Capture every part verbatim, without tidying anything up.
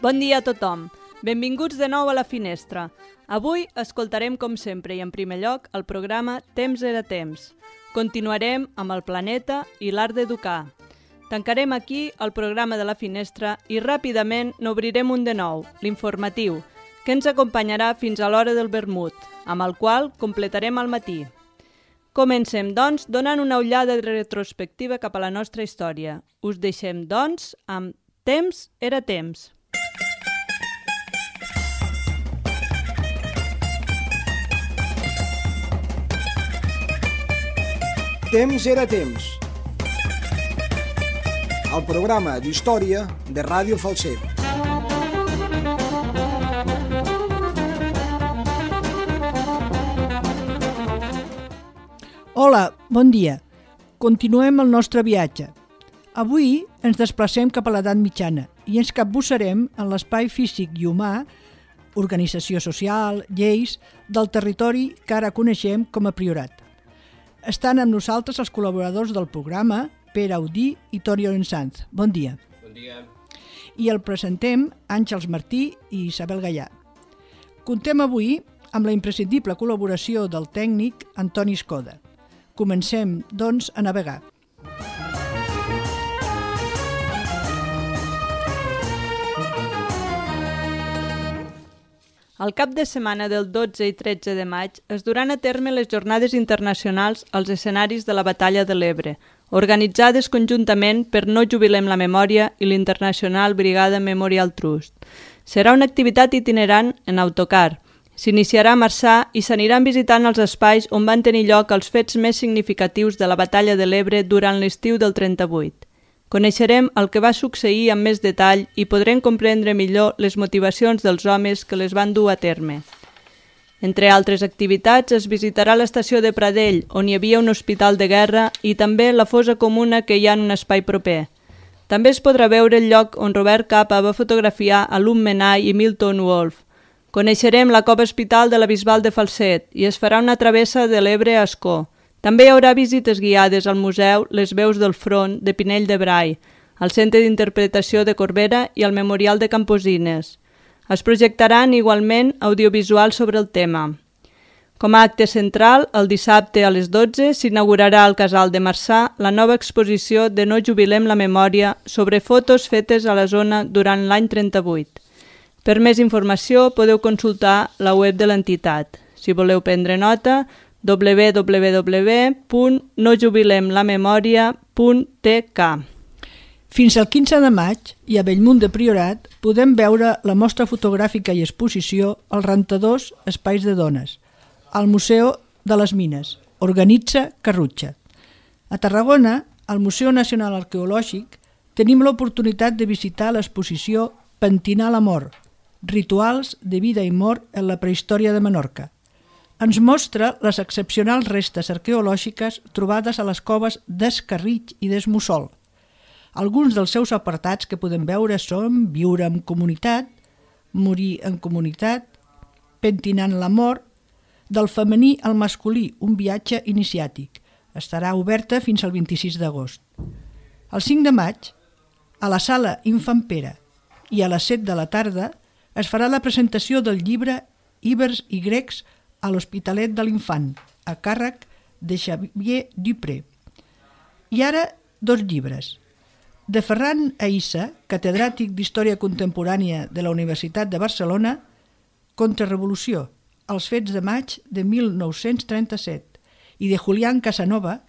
Bon dia a tothom. Benvinguts de nou a La Finestra. Avui escoltarem, com sempre i en primer lloc, el programa Temps era temps. Continuarem amb el planeta i l'art d'educar. Tancarem aquí el programa de La Finestra i ràpidament n'obrirem un de nou, l'informatiu, que ens acompanyarà fins a l'hora del vermut, amb el qual completarem el matí. Comencem, doncs, donant una ullada retrospectiva cap a la nostra història. Us deixem, doncs, amb Temps era temps. Temps era temps. El programa d'història de Ràdio Falset. Hola, bon dia. Continuem el nostre viatge. Avui ens desplacem cap a l'edat mitjana i ens capbussarem en l'espai físic i humà, organització social, lleis, del territori que ara coneixem com a Priorat. Estan amb nosaltres els col·laboradors del programa, Pere Audí i Toni Orensanz. Bon dia. Bon dia. I el presentem Àngels Martí i Isabel Gallà. Contem avui amb la imprescindible col·laboració del tècnic Antoni Escoda. Comencem, doncs, a navegar. Al cap de setmana del dotze i tretze de maig es duran a terme les jornades internacionals als escenaris de la Batalla de l'Ebre, organitzades conjuntament per No Jubilem la Memòria i l'International Brigada Memorial Trust. Serà una activitat itinerant en autocar. S'iniciarà a Marçà i s'aniran visitant els espais on van tenir lloc els fets més significatius de la Batalla de l'Ebre durant l'estiu del trenta-vuit. Coneixerem el que va succeir amb més detall i podrem comprendre millor les motivacions dels homes que les van dur a terme. Entre altres activitats, es visitarà l'estació de Pradell, on hi havia un hospital de guerra, i també la fossa comuna que hi ha en un espai proper. També es podrà veure el lloc on Robert Capa va fotografiar a Lum Menai i Milton Wolf. Coneixerem la cova hospital de la Bisbal de Falset i es farà una travessa de l'Ebre a Ascó. També hi haurà visites guiades al Museu Les Veus del Front de Pinell de Brai, al Centre d'Interpretació de Corbera i al Memorial de Camposines. Es projectaran igualment audiovisuals sobre el tema. Com a acte central, el dissabte a les dotze s'inaugurarà al Casal de Marçà la nova exposició de No Jubilem la Memòria sobre fotos fetes a la zona durant l'any trenta-vuit. Per més informació podeu consultar la web de l'entitat. Si voleu prendre nota, w w w punt no jubilem la memòria punt t k. Fins al quinze de maig, i a Bellmunt de Priorat, podem veure la mostra fotogràfica i exposició als rentadors Espais de Dones, al Museu de les Mines, organitza Carrutxa. A Tarragona, al Museu Nacional Arqueològic, tenim l'oportunitat de visitar l'exposició Pentinar la mort, rituals de vida i mort en la prehistòria de Menorca. Ens mostra les excepcionals restes arqueològiques trobades a les coves d'Escarritx i d'Esmussol. Alguns dels seus apartats que podem veure són Viure en comunitat, Morir en comunitat, Pentinant la mort, Del femení al masculí, un viatge iniciàtic. Estarà oberta fins al vint-i-sis d'agost. El cinc de maig, a la sala Infant Pere i a les set de la tarda, es farà la presentació del llibre Ibers i grecs a l'Hospitalet de l'Infant, a càrrec de Xavier Dupré. I ara, dos llibres. De Ferran Aïssa, catedràtic d'Història Contemporània de la Universitat de Barcelona, Contrarrevolució, els fets de maig de mil nou-cents trenta-set, i de Julián Casanova,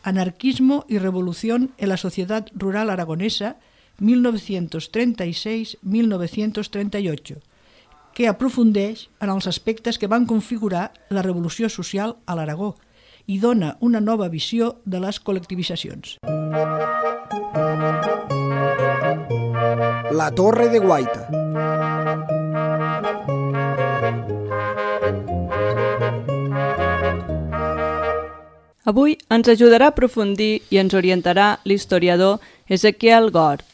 Anarquismo y revolución en la sociedad rural aragonesa mil novecientos treinta y seis a mil novecientos treinta y ocho, que aprofundeix en els aspectes que van configurar la revolució social a l'Aragó i dona una nova visió de les col·lectivitzacions. La Torre de Guaita. Avui ens ajudarà a aprofundir i ens orientarà l'historiador Ezequiel Gort,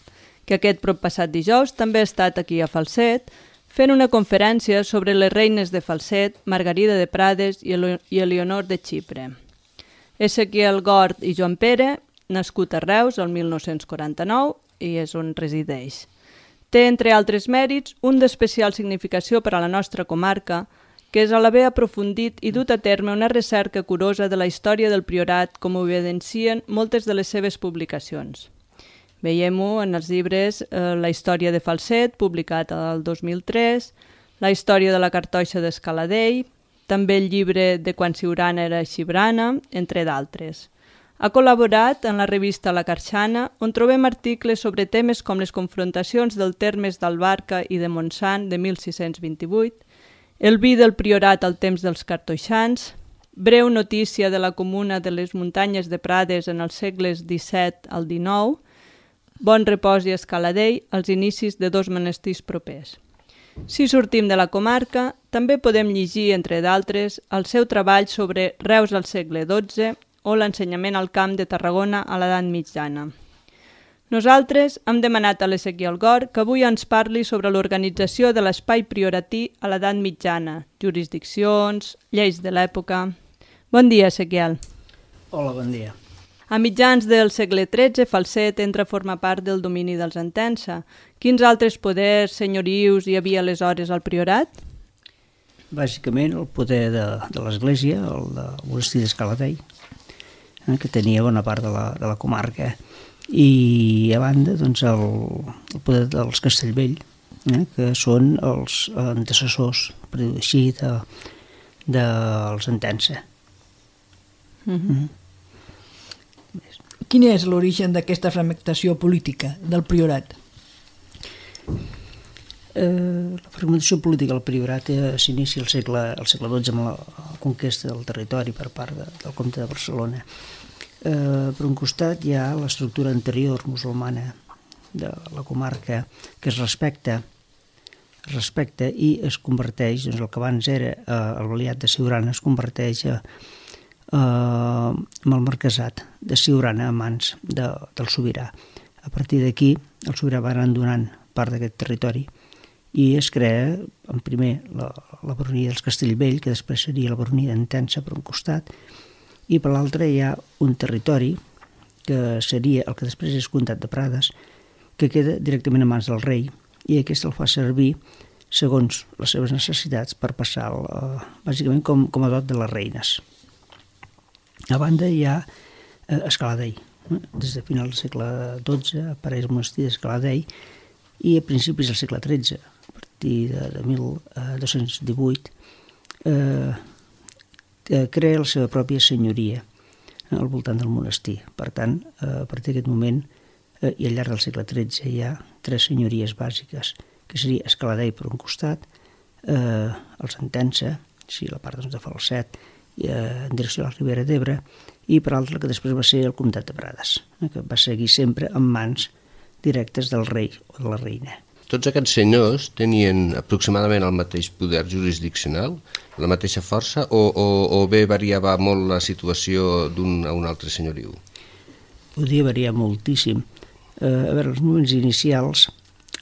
que aquest proppassat dijous també ha estat aquí a Falset fent una conferència sobre les reines de Falset, Margarida de Prades i Elionor de Xipre. Ezequiel Gort i Joan Pere, nascut a Reus el mil nou-cents quaranta-nou i és on resideix. Té, entre altres mèrits, un d'especial significació per a la nostra comarca, que és a l'haver aprofundit i dut a terme una recerca curosa de la història del Priorat, com ho evidencien moltes de les seves publicacions. Veiem-ho en els llibres eh, La història de Falset, publicat el dos mil tres, La història de la cartoixa d'Escaladei, també el llibre de Quan Siurana era xibrana, entre d'altres. Ha col·laborat en la revista La Carxana, on trobem articles sobre temes com les confrontacions dels termes d'Albarca i de Montsant de mil sis-cents vint-i-vuit, el vi del Priorat al temps dels cartoixans, breu notícia de la comuna de les muntanyes de Prades en els segles disset al dinou, Bon Repòs i Escaladei, als inicis de dos monestirs propers. Si sortim de la comarca, també podem llegir, entre d'altres, el seu treball sobre Reus al segle dotze o l'ensenyament al camp de Tarragona a l'edat mitjana. Nosaltres hem demanat a l'Ezequiel Gor que avui ens parli sobre l'organització de l'espai prioratí a l'edat mitjana, jurisdiccions, lleis de l'època... Bon dia, Ezequiel. Hola, bon dia. A mitjans del segle tretze, Falset entra a formar part del domini dels Entença. Quins altres poders, senyorius hi havia aleshores al Priorat? Bàsicament el poder de, de l'Església, el de monestir d'Escaladei, eh, que tenia bona part de la, de la comarca, i a banda doncs, el, el poder dels Castellvell, eh, que són els antecessors, per dir-ho així, de, dels Entença. Mm-hmm. Mm. Quin és l'origen d'aquesta fragmentació política del Priorat? Eh, la fragmentació política del Priorat eh, s'inicia al segle, al segle dotze amb la conquesta del territori per part de, del comte de Barcelona. Eh, per un costat hi ha l'estructura anterior musulmana de la comarca que es respecta, es respecta i es converteix, doncs el que abans era eh, el Valiat de Siurana es converteix a Uh, amb el marquesat de Siurana a mans de, del sobirà. A partir d'aquí, el sobirà va anar donant part d'aquest territori i es crea, en primer, la, la baronia dels Castellvell, que després seria la baronia d'Entença per un costat, i per l'altre hi ha un territori que seria el que després és comtat de Prades, que queda directament a mans del rei, i aquest el fa servir segons les seves necessitats per passar, uh, bàsicament, com, com a dot de les reines. A banda hi ha eh, Escaladei. Des de final del segle dotze apareix el monestir d'Escaladei i a principis del segle tretze, a partir de, de mil dos-cents divuit, eh, crea la seva pròpia senyoria eh, al voltant del monestir. Per tant, eh, a partir d'aquest moment eh, i al llarg del segle tretze hi ha tres senyories bàsiques, que seria Escaladei per un costat, eh, el Entença, sí, la part doncs, de Falset, en direcció a la Ribera d'Ebre, i per altra que després va ser el comtat de Prades, que va seguir sempre en mans directes del rei o de la reina. Tots aquests senyors tenien aproximadament el mateix poder jurisdiccional, la mateixa força, o, o, o bé variava molt la situació d'un a un altre senyoriu? Podia variar moltíssim. Eh, a veure, els moments inicials,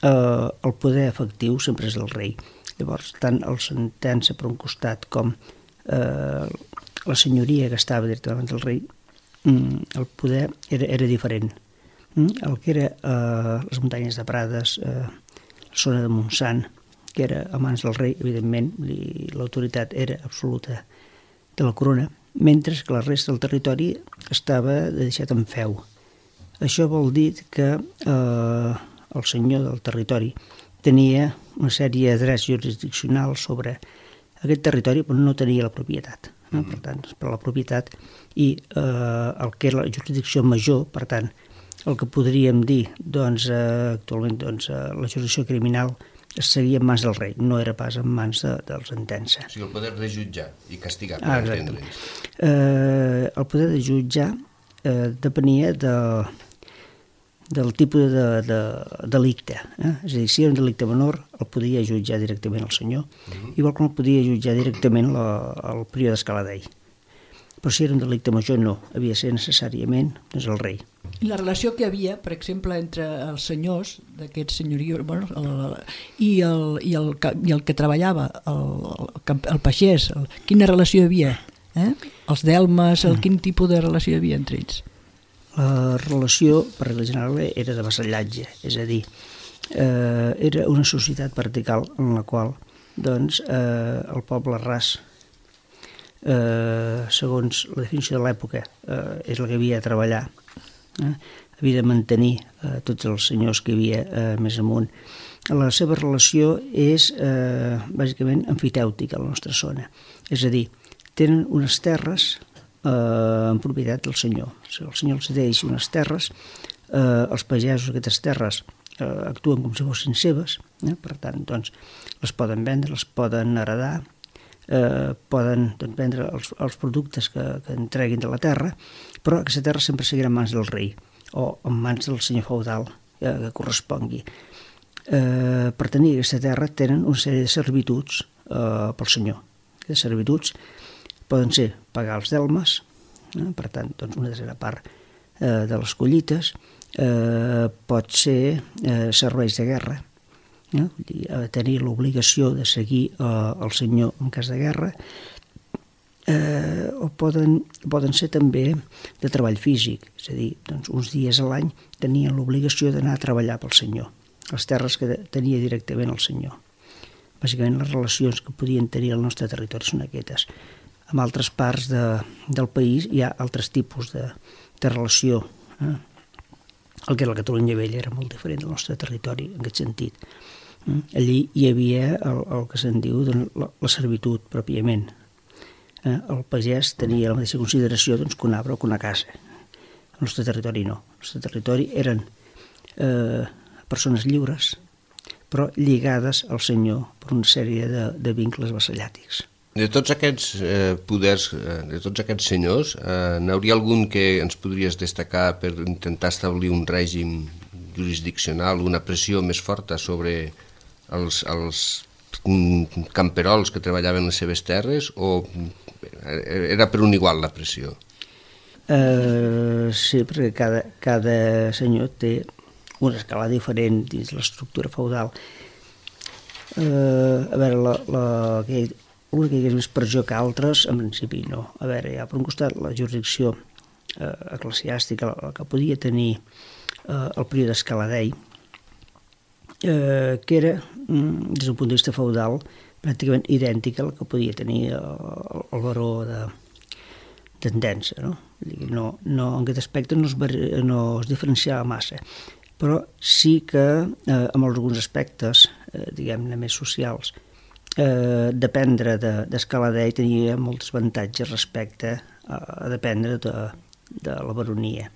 eh, el poder efectiu sempre és del rei. Llavors, tant el Entença per un costat com eh, la senyoria que estava directament del rei, el poder era, era diferent. El que era eh, les muntanyes de Prades, eh, la zona de Montsant, que era a mans del rei, evidentment, l'autoritat era absoluta de la corona, mentre que la resta del territori estava deixat en feu. Això vol dir que eh, el senyor del territori tenia una sèrie de drets jurisdiccionals sobre aquest territori, però no tenia la propietat. No? Per tant, per la propietat i eh, el que era la jurisdicció major, per tant, el que podríem dir, doncs, eh, actualment, doncs, eh, la jurisdicció criminal es seguia en mans del rei, no era pas en mans de, dels Entença. O sigui, el poder de jutjar i castigar, per ah, entendre'ns. Eh, el poder de jutjar eh, depenia de, del tipus de, de delicte. Eh? És a dir, si era un delicte menor, el podia jutjar directament el senyor, uh-huh. igual com el podia jutjar directament la, el prior d'Escaladei. Però si era un delicte major, no. Havia de ser necessàriament doncs, el rei. I la relació que hi havia, per exemple, entre els senyors d'aquests senyorius, bueno, el, el, i, el, i, el, i el que treballava, el, el, el pagès, el, quina relació hi havia? Eh? Els delmes, el, quin tipus de relació hi havia entre ells? La relació, per regla general, era de vassallatge, és a dir, eh, era una societat vertical en la qual doncs, eh, el poble ras, eh, segons la definició de l'època, eh, és el que havia de treballar, eh, havia de mantenir eh, tots els senyors que hi havia eh, més amunt. La seva relació és eh, bàsicament emfitèutica a la nostra zona, és a dir, tenen unes terres eh, en propietat del senyor. Si el senyor els deixa unes terres, eh, els pagesos d'aquestes terres eh, actuen com si fossin seves, eh? Per tant, doncs, les poden vendre, les poden heredar, eh, poden doncs, vendre els, els productes que, que entreguin de la terra, però aquesta terra sempre seguirà en mans del rei o en mans del senyor feudal eh, que correspongui. Eh, per tenir aquesta terra tenen una sèrie de servituds eh, pel senyor. Aquestes servituds poden ser pagar els delmes, eh, per tant, doncs una tercera part eh, de les collites, eh, pot ser eh, serveis de guerra, eh, vull dir, eh, tenir l'obligació de seguir eh, el senyor en cas de guerra, eh, o poden, poden ser també de treball físic, és a dir, doncs, uns dies a l'any tenien l'obligació d'anar a treballar pel senyor, les terres que tenia directament el senyor. Bàsicament les relacions que podien tenir al nostre territori són aquestes. En altres parts de, del país hi ha altres tipus de, de relació. Eh? El que era la Catalunya Vella era molt diferent del nostre territori en aquest sentit. Eh? Allí hi havia el, el que se'n diu doncs, la, la servitud pròpiament. Eh? El pagès tenia la mateixa consideració doncs, que un arbre o que una casa. El nostre territori no. El nostre territori eren eh, persones lliures, però lligades al senyor per una sèrie de, de vincles vassallàtics. De tots aquests eh, poders, eh, de tots aquests senyors, eh, n'hauria algun que ens podries destacar per intentar establir un règim jurisdiccional, una pressió més forta sobre els, els camperols que treballaven les seves terres, o era per un igual la pressió? Eh, sí, perquè cada, cada senyor té una escala diferent dins l'estructura feudal. Eh, a veure, la, la, que una que hi hagués més pressió que altres, en principi no. A veure, hi ha per un costat la jurisdicció eh, eclesiàstica, la, la que podia tenir eh, el període Escaladei, eh, que era, des d'un punt de vista feudal, pràcticament idèntica a la que podia tenir el, el baró de d'Entença, no? No, no, en aquest aspecte no es, no es diferenciava massa, però sí que eh, en alguns aspectes, eh, diguem-ne, més socials, eh, dependre d'Escaladei de, tenia molts avantatges respecte a, a dependre de, de la baronia.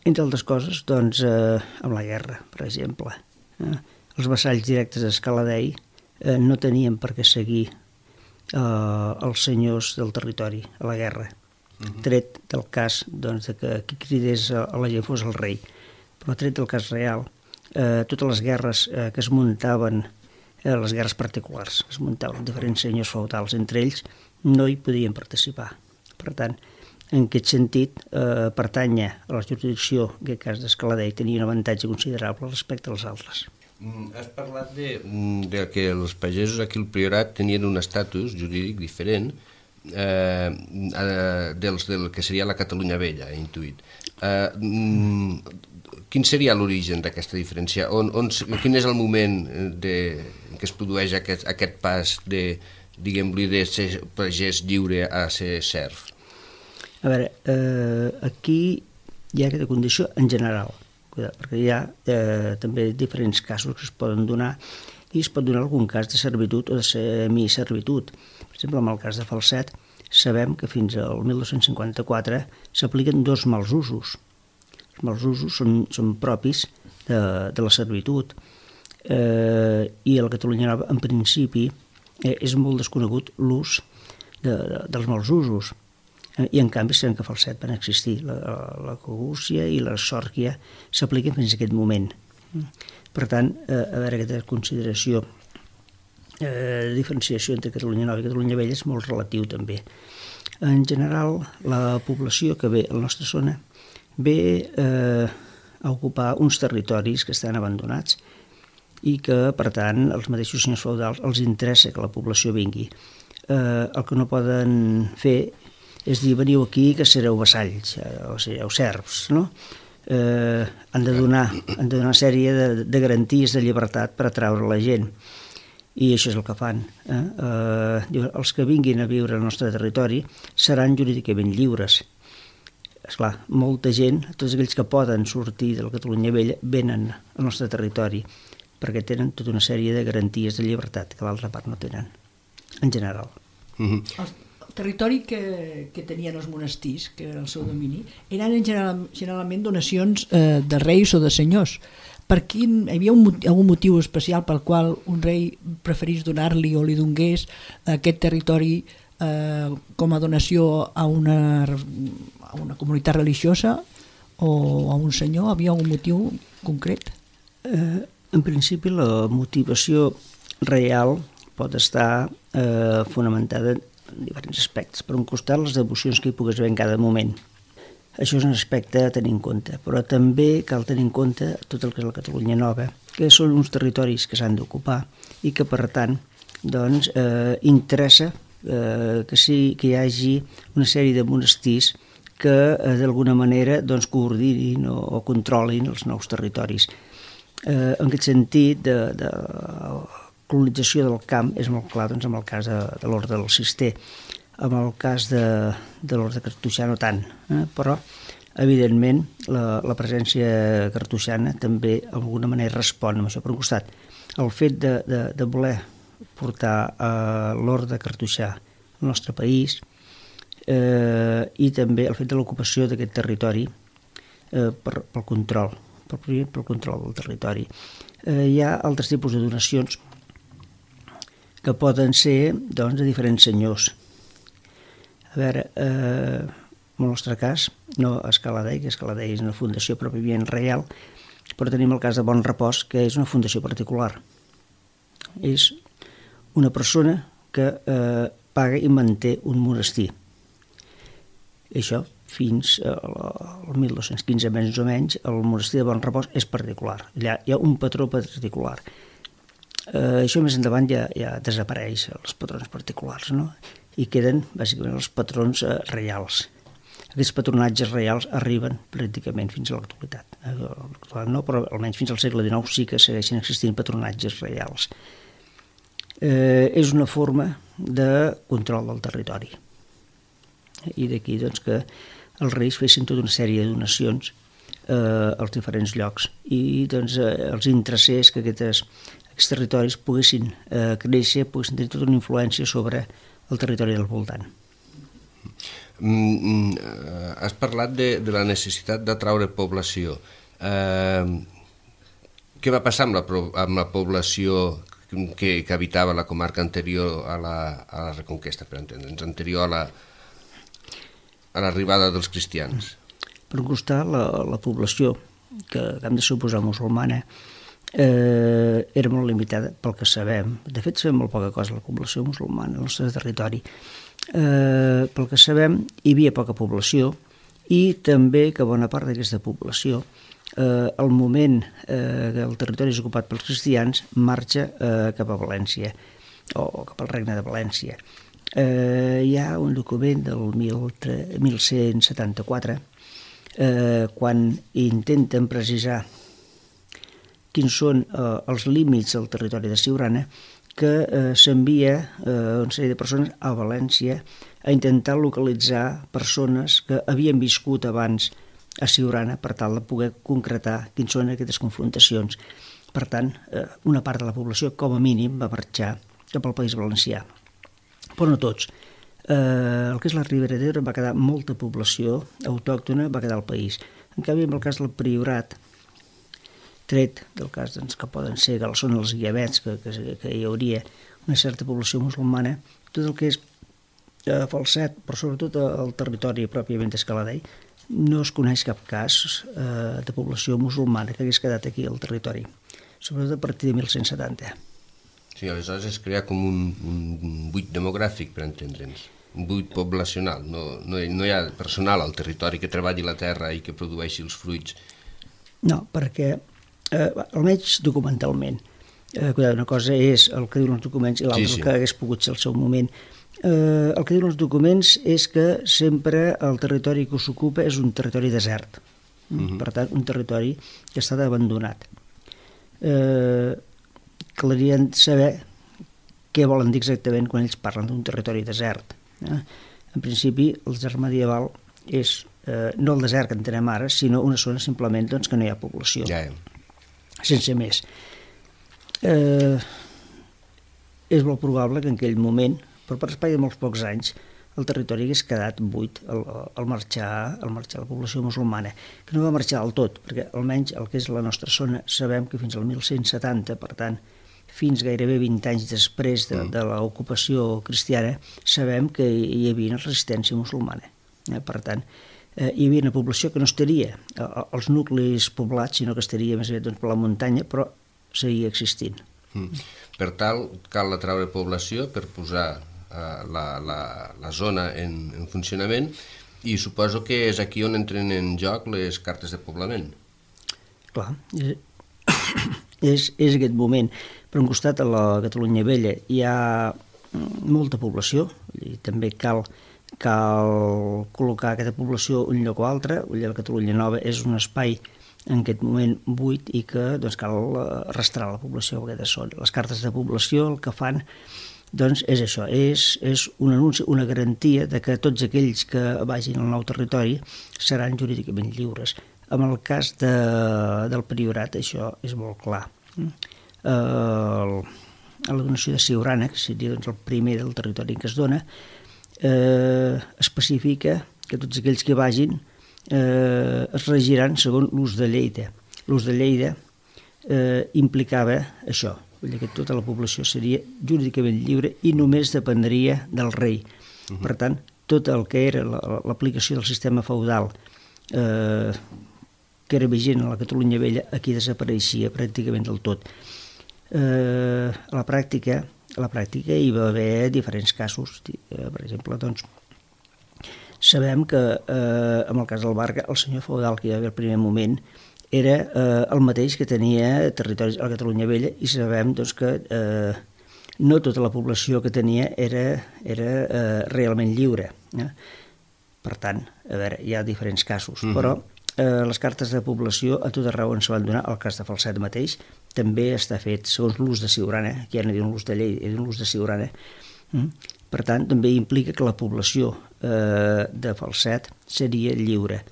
Entre altres coses, doncs, eh, amb la guerra, per exemple. Eh, els vassalls directes d'Escaladei eh, no tenien per què seguir eh, els senyors del territori a la guerra, uh-huh. tret del cas doncs, de que qui cridés a la gent fos el rei. Però tret del cas real, eh, totes les guerres eh, que es muntaven, eh, les guerres particulars, es muntaven diferents senyors feudals, entre ells no hi podien participar. Per tant, en aquest sentit, eh, pertànyer a la jurisdicció, en aquest cas d'Escaladei, tenia un avantatge considerable respecte als altres. Has parlat de, de que els pagesos aquí al Priorat tenien un estatus jurídic diferent eh, dels del que seria la Catalunya Vella, he intuït. Eh, Quin seria l'origen d'aquesta diferència? On, on, quin és el moment de, que es produeix aquest, aquest pas de, diguem-li, de ser pagès lliure a ser serf? A veure, eh, aquí hi ha aquesta condició en general, perquè hi ha eh, també diferents casos que es poden donar i es pot donar algun cas de servitud o de semiservitud. Per exemple, en el cas de Falset, sabem que fins al mil dos-cents cinquanta-quatre s'apliquen dos mals usos. Els mals usos són, són propis de, de la servitud eh, i a la Catalunya Nova, en principi, eh, és molt desconegut l'ús de, de, dels mals usos. Eh, I en canvi sabem que a Falset van existir. La, la cogúcia i la sòrquia s'apliquen fins a aquest moment. Per tant, eh, a veure, aquesta consideració eh, de diferenciació entre Catalunya Nova i Catalunya Vella és molt relatiu també. En general, la població que ve a la nostra zona ve eh, a ocupar uns territoris que estan abandonats i que, per tant, els mateixos senyors feudals els interessa que la població vingui. Eh, el que no poden fer és dir, veniu aquí que sereu vassalls, o sereu serfs, no? eh, han, de donar, han de donar una sèrie de, de garanties de llibertat per atraure la gent. I això és el que fan. Eh? Eh, els que vinguin a viure al nostre territori seran jurídicament lliures. Esclar, molta gent, tots aquells que poden sortir de la Catalunya Vella, venen al nostre territori perquè tenen tota una sèrie de garanties de llibertat que l'altra part no tenen, en general. Mm-hmm. El territori que, que tenien els monestirs, que era el seu domini, eren en general, generalment donacions eh, de reis o de senyors. Per quin, hi havia un, algun motiu especial pel qual un rei preferís donar-li o li donés aquest territori eh, com a donació a una, a una comunitat religiosa o a un senyor? Havia algun motiu concret? Eh, en principi la motivació real pot estar eh, fonamentada en diferents aspectes. Per un costat, les devocions que hi pogués haver en cada moment. Això és un aspecte a tenir en compte, però també cal tenir en compte tot el que és la Catalunya Nova, que són uns territoris que s'han d'ocupar i que, per tant, doncs, eh, interessa eh, que, sí, que hi hagi una sèrie de monestirs que, eh, d'alguna manera, doncs, coordinin o, o controlin els nous territoris. Eh, en aquest sentit, de, de colonització del camp és molt clar, doncs, amb el cas de, de l'Orde del Cister. En el cas de, de l'Orde cartoixà no tant, eh? Però evidentment la, la presència cartoixana també d'alguna manera respon amb això. Per un costat, el fet de, de, de voler portar eh, l'Orde cartoixà al nostre país eh, i també el fet de l'ocupació d'aquest territori eh, per, pel control, pel, pel control del territori. Eh, hi ha altres tipus de donacions que poden ser, doncs, de diferents senyors. A veure, eh, en el nostre cas, no Escaladei, que Escaladei és una fundació pròpiament reial, però tenim el cas de Bon Repòs, que és una fundació particular. És una persona que eh, paga i manté un monestir. I això, fins al mil dos-cents quinze més o menys, el monestir de Bon Repòs és particular. Allà hi ha un patró particular. Eh, això més endavant ja, ja desapareix, els patrons particulars, no? I queden, bàsicament, els patrons eh, reials. Aquests patronatges reials arriben pràcticament fins a l'actualitat. Eh, no, però almenys fins al segle dinou sí que segueixen existint patronatges reials. Eh, és una forma de control del territori. I d'aquí, doncs, que els reis fessin tota una sèrie de donacions eh, als diferents llocs i, doncs, eh, els interessés que aquestes, aquests territoris poguessin eh, créixer, poguessin tenir tota una influència sobre el territori del voltant. Mm, has parlat de, de la necessitat d'atraure població. Eh, què va passar amb la, amb la població que, que habitava la comarca anterior a la, a la Reconquesta, per entendre'ns, anterior a la, a l'arribada dels cristians? Per un costat, la, la població, que hem de suposar musulmana, Eh, era molt limitada pel que sabem. De fet, sabem molt poca cosa de la població musulmana al nostre territori. Eh, pel que sabem, hi havia poca població i també que bona part d'aquesta població, eh, al moment eh, que el territori és ocupat pels cristians, marxa eh, cap a València o cap al regne de València. Eh, hi ha un document del mil cent setanta-quatre eh, quan intenten precisar quins són eh, els límits del territori de Siurana, que eh, s'envia eh, una sèrie de persones a València a intentar localitzar persones que havien viscut abans a Siurana per tal de poder concretar quins són aquestes confrontacions. Per tant, eh, una part de la població, com a mínim, va marxar cap al País Valencià. Però no tots. Eh, el que és la Ribera d'Ebre va quedar molta població autòctona, va quedar al país. En canvi, en el cas del Priorat, tret del cas doncs, que poden ser, que són els guiavets, que, que, que hi hauria una certa població musulmana, tot el que és eh, Falset, però sobretot el territori pròpiament d'Escaladei, no es coneix cap cas eh, de població musulmana que hagués quedat aquí al territori, sobretot a partir de mil cent setanta. Sí, aleshores es crea com un, un buit demogràfic, per entendre'ns, un buit poblacional, no, no, no hi ha personal al territori que treballi la terra i que produeixi els fruits. No, perquè Eh, almenys documentalment. Eh, una cosa és el que diuen els documents i l'altra sí, sí. el que hagués pogut ser el seu moment. Eh, el que diuen els documents és que sempre el territori que s'ocupa és un territori desert. Mm-hmm. Per tant, un territori que està abandonat. Eh, Calien saber què volen dir exactament quan ells parlen d'un territori desert. Eh? En principi, el desert medieval és eh, no el desert que entenem ara, sinó una zona simplement doncs, que no hi ha població, Ja. sense més. Eh, és molt probable que en aquell moment, però per espai de molts pocs anys, el territori hagués quedat buit al, al, marxar, al marxar la població musulmana, que no va marxar del tot, perquè almenys el que és la nostra zona sabem que fins al mil cent setanta, per tant, fins gairebé vint anys després de, de l'ocupació cristiana, sabem que hi havia una resistència musulmana. Eh? Per tant, eh, hi havia una població que no estaria als nuclis poblats, sinó que estaria més aviat doncs, per la muntanya, però seguia existint. Mm. Per tal, cal atraure població per posar uh, la, la, la zona en, en funcionament, i suposo que és aquí on entren en joc les cartes de poblament. Clar, és, és, és aquest moment. Per un costat, a la Catalunya Vella hi ha molta població, i també cal, cal col·locar aquesta població un lloc o altre. La Catalunya Nova és un espai en aquest moment buit i que doncs, cal arrastrar la població a aquesta zona. Les cartes de població el que fan doncs, és això, és, és un anunci, una garantia de que tots aquells que vagin al nou territori seran jurídicament lliures. En el cas de, del priorat això és molt clar. El, la donació de Siurana, que seria doncs, el primer del territori en què es dona, eh, especifica que tots aquells que vagin eh, es regiran segons l'ús de Lleida. L'ús de Lleida eh, implicava això, vull dir que tota la població seria jurídicament lliure i només dependria del rei. Uh-huh. Per tant, tot el que era l'aplicació del sistema feudal eh, que era vigent a la Catalunya Vella, aquí desapareixia pràcticament del tot. Eh, a la pràctica, a la pràctica hi va haver diferents casos. Eh, per exemple, doncs, sabem que eh, en el cas del Barca, el senyor feudal que hi va haver al primer moment era eh, el mateix que tenia territoris a la Catalunya Vella, i sabem doncs, que eh, no tota la població que tenia era, era eh, realment lliure. Eh? Per tant, a veure, hi ha diferents casos, mm-hmm. però eh, les cartes de població a tot arreu on se van donar, el cas de Falset mateix, també està fet segons l'ús de Siurana, que ja no diuen l'ús de llei, diuen l'ús de Siurana. Mm? Per tant, també implica que la població eh, de Falset seria lliure.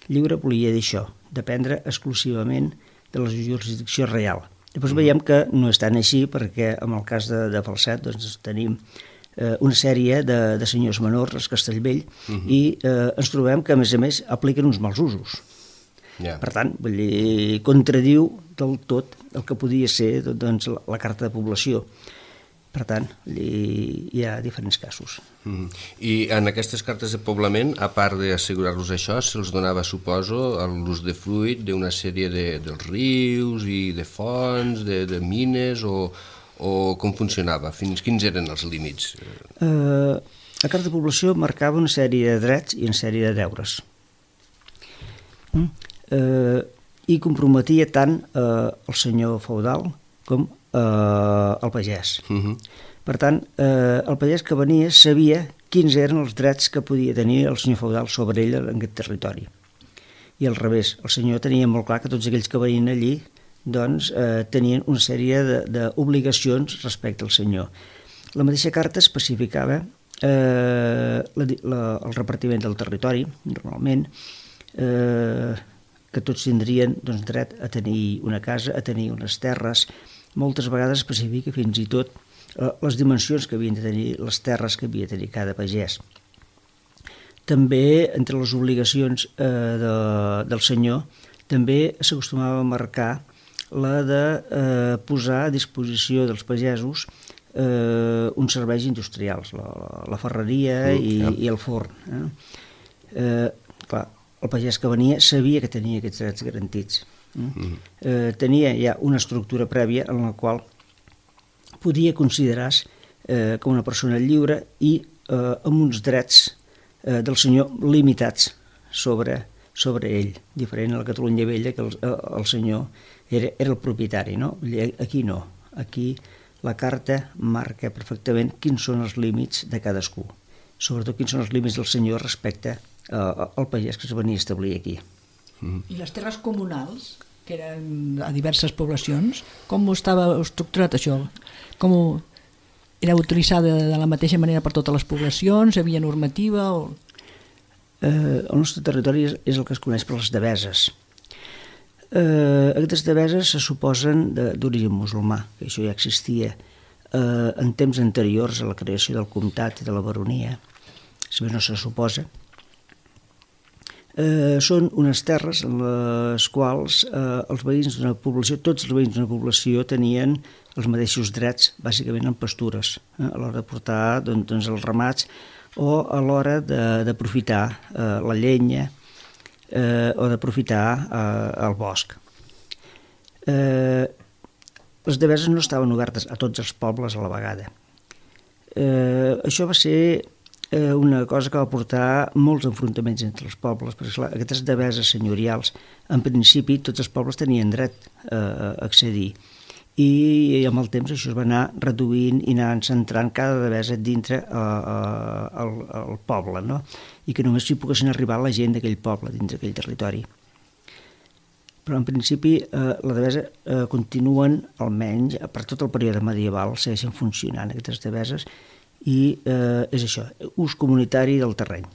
Lliure volia dir això, dependre exclusivament de la jurisdicció real. Després mm. veiem que no és tan així, perquè en el cas de, de Falset doncs, tenim eh, una sèrie de, de senyors menors, els Castellvell, mm-hmm. i eh, ens trobem que, a més a més, apliquen uns mals usos. Yeah. Per tant, vull dir, contradiu del tot el que podia ser doncs, la, la carta de població. Per tant, hi ha diferents casos. Mm. I en aquestes cartes de poblament, a part d'assegurar-los això, se'ls donava, suposo, l'ús de fruit d'una sèrie de, dels rius i de fonts, de, de mines, o, o com funcionava? Fins quins eren els límits? Uh, la carta de població marcava una sèrie de drets i una sèrie de deures. Mm? Uh, I comprometia tant uh, el senyor feudal com Uh, el pagès. Uh-huh. Per tant, uh, el pagès que venia sabia quins eren els drets que podia tenir el senyor feudal sobre ell en aquest territori. I al revés, el senyor tenia molt clar que tots aquells que venien allí doncs, uh, tenien una sèrie d'obligacions respecte al senyor. La mateixa carta especificava uh, la, la, el repartiment del territori, normalment, uh, que tots tindrien doncs, dret a tenir una casa, a tenir unes terres. Moltes vegades especifica fins i tot eh, les dimensions que havien de tenir les terres que havia de tenir cada pagès. També, entre les obligacions eh, de, del senyor, també s'acostumava a marcar la de eh, posar a disposició dels pagesos eh, uns serveis industrials, la, la ferreria mm, i, ja. i el forn. Eh? Eh, clar, el pagès que venia sabia que tenia aquests drets garantits. Mm. Eh, tenia ja una estructura prèvia en la qual podia considerar-se eh, com una persona lliure i eh, amb uns drets eh, del senyor limitats sobre, sobre ell, diferent a la Catalunya Vella, que el, el senyor era, era el propietari, no? Aquí no, aquí la carta marca perfectament quins són els límits de cadascú, sobretot quins són els límits del senyor respecte eh, al pagès que es venia a establir aquí. Mm. I les terres comunals, que eren a diverses poblacions, com estava estructurat això? Com era utilitzada de la mateixa manera per totes les poblacions? Hi havia normativa? O... Eh, el nostre territori és, és el que es coneix per les deveses. Eh, aquestes deveses se suposen d'origen musulmà, que això ja existia eh, en temps anteriors a la creació del comtat i de la baronia, si bé no se suposa. Eh, són unes terres en les quals eh, els veïns d'una població, tots els veïns d'una població tenien els mateixos drets, bàsicament en pastures, eh, a l'hora de portar doncs, doncs, els ramats o a l'hora d'aprofitar eh, la llenya eh, o d'aprofitar eh, el bosc. Eh, les deveses no estaven obertes a tots els pobles a la vegada. Eh, això va ser eh, una cosa que va portar molts enfrontaments entre els pobles, perquè clar, aquestes deveses senyorials, en principi tots els pobles tenien dret eh, a accedir, i amb el temps això es va anar reduint i anant centrant cada devesa dintre eh, eh, el, el poble, no? I que només hi poguessin arribar la gent d'aquell poble, dintre d'aquell territori. Però en principi eh, la devesa eh, continuen, almenys per tot el període medieval, segueixen funcionant aquestes deveses, i eh, és això, ús comunitari del terreny.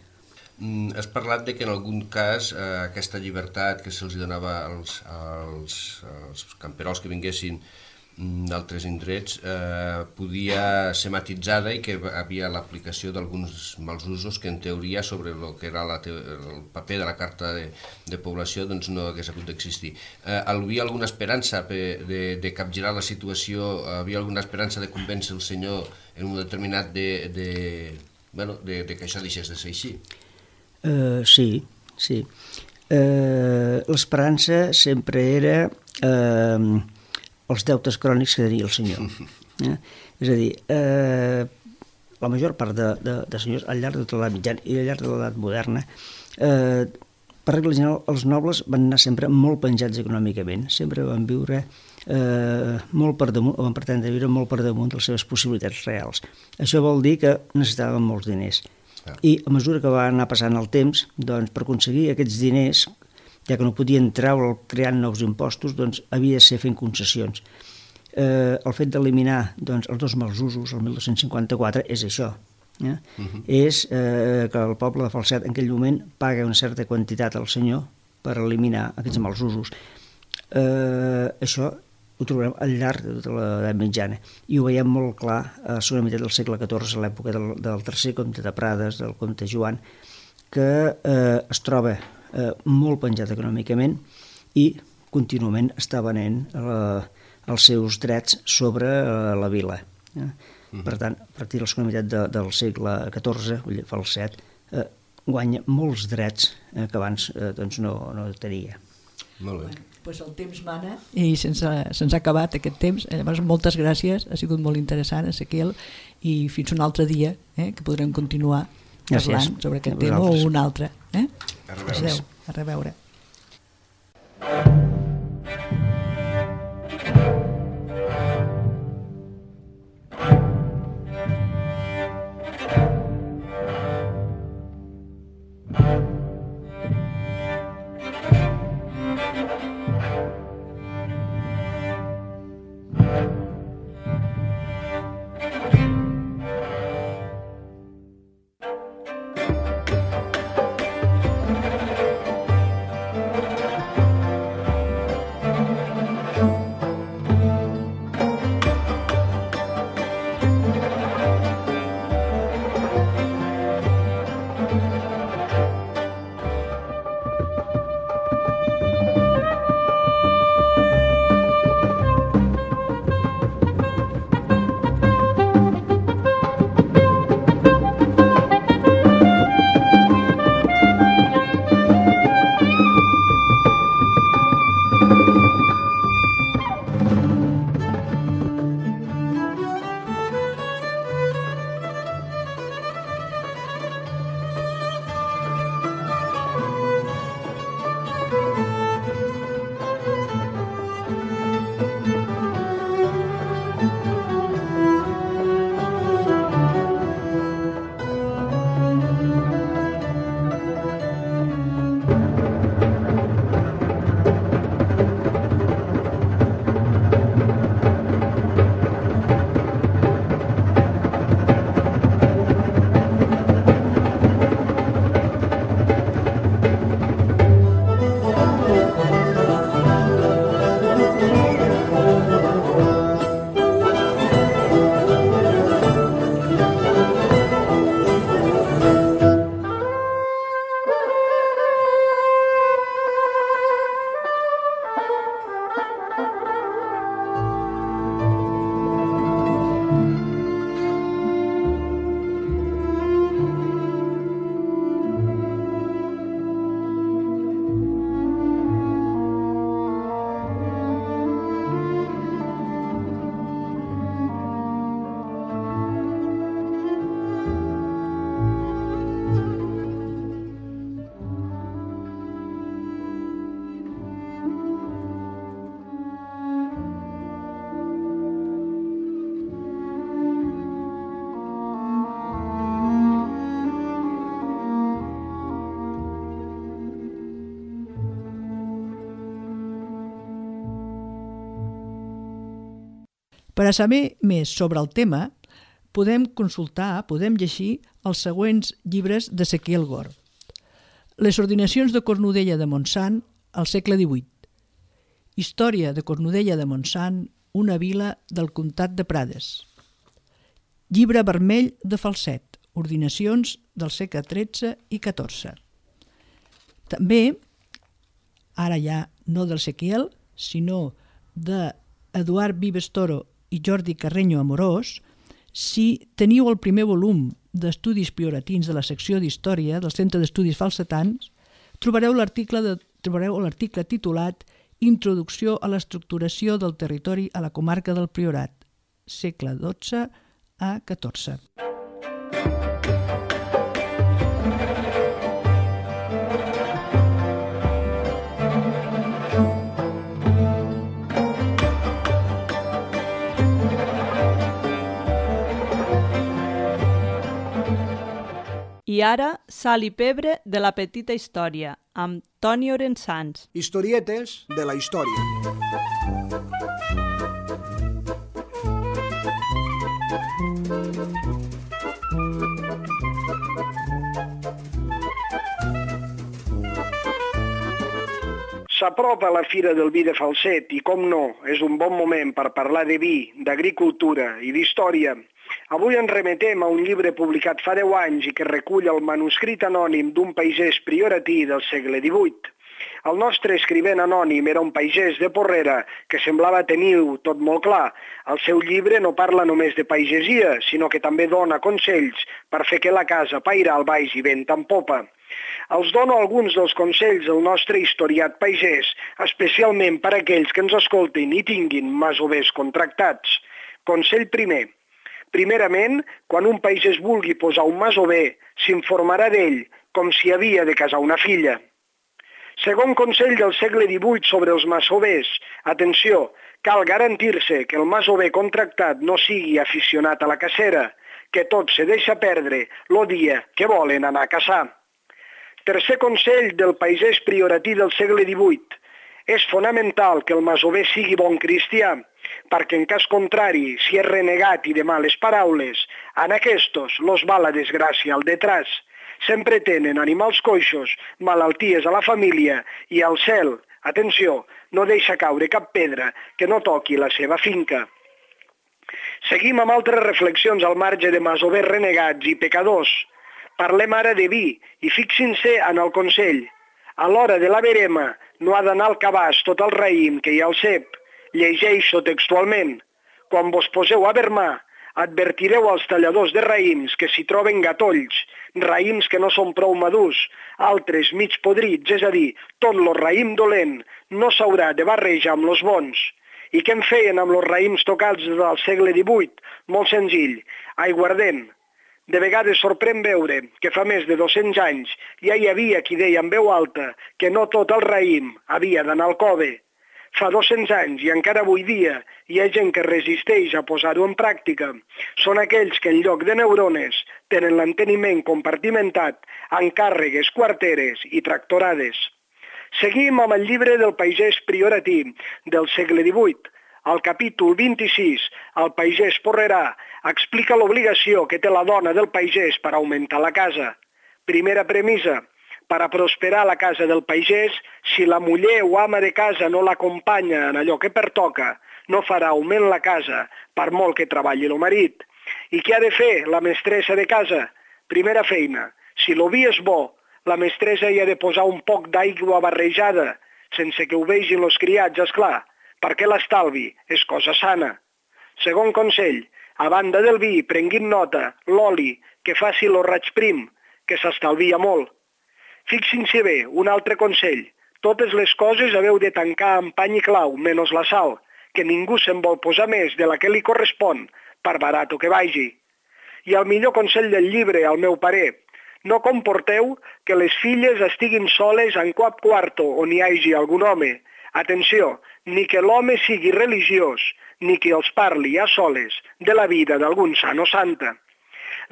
Mm, has parlat de que en algun cas eh, aquesta llibertat que se'ls donava als, als, als camperols que vinguessin d'altres indrets eh, podia ser matitzada i que havia l'aplicació d'alguns mals usos que en teoria sobre el que era la te el paper de la carta de, de població doncs no hagués hagut d'existir. Eh, havia alguna esperança de, de capgirar la situació, havia alguna esperança de convèncer el senyor en un determinat de, de, bueno, de, de que això deixés de ser així? Uh, sí, sí. Uh, l'esperança sempre era uh, els deutes crònics que tenia el senyor. Eh? És a dir, eh, la major part de, de, de senyors al llarg de tota l'edat mitjana i al llarg de l'edat moderna, eh, per regla general, els nobles van anar sempre molt penjats econòmicament, sempre van viure eh, molt per damunt, o van pretendre viure molt per damunt de les seves possibilitats reals. Això vol dir que necessitaven molts diners. I a mesura que va anar passant el temps, doncs, per aconseguir aquests diners, ja que no podien treure creant nous impostos, doncs havia de ser fent concessions. Eh, el fet d'eliminar doncs, els dos mals usos, el mil dos-cents cinquanta-quatre, és això. Eh? Uh-huh. És eh, que el poble de Falset en aquell moment paga una certa quantitat al senyor per eliminar aquests mals usos. Eh, això ho trobarem al llarg de tota l'edat mitjana i ho veiem molt clar a la segona meitat del segle catorze, a l'època del, del tercer comte de Prades, del comte Joan, que eh, es troba Eh, molt penjat econòmicament i contínuament està venent eh, els seus drets sobre eh, la vila. Eh? Uh-huh. Per tant, a partir de la segona meitat de, del segle catorze, Falset, eh, guanya molts drets eh, que abans eh, doncs no, no tenia. Molt bé. Bueno, pues el temps mana i se'ns ha, se'ns ha acabat aquest temps. Llavors, moltes gràcies, ha sigut molt interessant, Ezequiel, i fins un altre dia eh, que podrem continuar parlant Gràcies. sobre aquest tema o un altre. Eh? A reveure. A reveure. Per a saber més sobre el tema, podem consultar, podem llegir els següents llibres d'Ezequiel Gor. Les ordinacions de Cornudella de Montsant al segle divuit. Història de Cornudella de Montsant, una vila del comtat de Prades. Llibre vermell de Falset, ordinacions del segle tretze i catorze. També, ara ja no del Sequiel, sinó d'Eduard Vives Toro i Jordi Carreño Amorós, si teniu el primer volum d'estudis prioratins de la secció d'Història del Centre d'Estudis Falsetans, trobareu l'article de, trobareu l'article titulat Introducció a l'estructuració del territori a la comarca del Priorat, segle dotze a catorze. I ara, sal i pebre de la petita història, amb Toni Orensans. Historietes de la història. S'apropa la Fira del Vi de Falset i, com no, és un bon moment per parlar de vi, d'agricultura i d'història. Avui ens remetem a un llibre publicat fa deu anys i que recull el manuscrit anònim d'un pagès prioratí del segle divuit. El nostre escrivent anònim era un pagès de Porrera que semblava tenir-ho tot molt clar. El seu llibre no parla només de pagesia, sinó que també dona consells per fer que la casa pairal vagi vent en popa. Els dono alguns dels consells del nostre historiat pagès, especialment per a aquells que ens escoltin i tinguin masovers contractats. Consell primer. Primerament, quan un pagès vulgui posar un masover, s'informarà d'ell com si havia de casar una filla. Segon consell del segle divuit sobre els masovers. Atenció, cal garantir-se que el masover contractat no sigui aficionat a la cacera, que tot se deixa perdre el dia que volen anar a caçar. Tercer consell del pagès prioratí del segle divuit. És fonamental que el masover sigui bon cristià, perquè en cas contrari, si és renegat i de males paraules, en aquestos los va la desgràcia al detrás. Sempre tenen animals coixos, malalties a la família i al cel, atenció, no deixa caure cap pedra que no toqui la seva finca. Seguim amb altres reflexions al marge de masovers renegats i pecadors. Parlem ara de vi i fixin-se en el consell. A l'hora de la verema no ha d'anar al cabàs tot el raïm que hi ha al cep. Llegeixo textualment. Quan vos poseu a vermar, advertireu als talladors de raïms que s'hi troben gatolls, raïms que no són prou madurs, altres mig podrits, és a dir, tot lo raïm dolent no s'haurà de barrejar amb los bons. I què en feien amb los raïms tocats del segle divuit? Molt senzill, aiguardent. De vegades sorprèn veure que fa més de dos-cents anys ja hi havia qui deia en veu alta que no tot el raïm havia d'anar al cove. Fa dos-cents anys i encara avui dia hi ha gent que resisteix a posar-ho en pràctica. Són aquells que en lloc de neurones tenen l'enteniment compartimentat en càrregues quarteres i tractorades. Seguim amb el llibre del pagès prioratí del segle divuit. Al capítol vint-i-sis, el pagès porrerà explica l'obligació que té la dona del pagès per augmentar la casa. Primera premissa. Per a prosperar la casa del pagès, si la muller o ama de casa no l'acompanya en allò que pertoca, no farà augment la casa, per molt que treballi el marit. I què ha de fer la mestressa de casa? Primera feina. Si el vi és bo, la mestressa hi ha de posar un poc d'aigua barrejada, sense que ho vegin els criats, esclar, perquè l'estalvi és cosa sana. Segon consell. A banda del vi, prenguin nota, l'oli, que faci el raig prim, que s'estalvia molt. Fixin-se bé, un altre consell. Totes les coses haveu de tancar amb pany i clau, menys la sal, que ningú se'n vol posar més de la que li correspon, per barat que vagi. I el millor consell del llibre, al meu parer, no comporteu que les filles estiguin soles en cap quarto on hi hagi algun home. Atenció, ni que l'home sigui religiós, ni que els parli a soles de la vida d'algun sant o santa.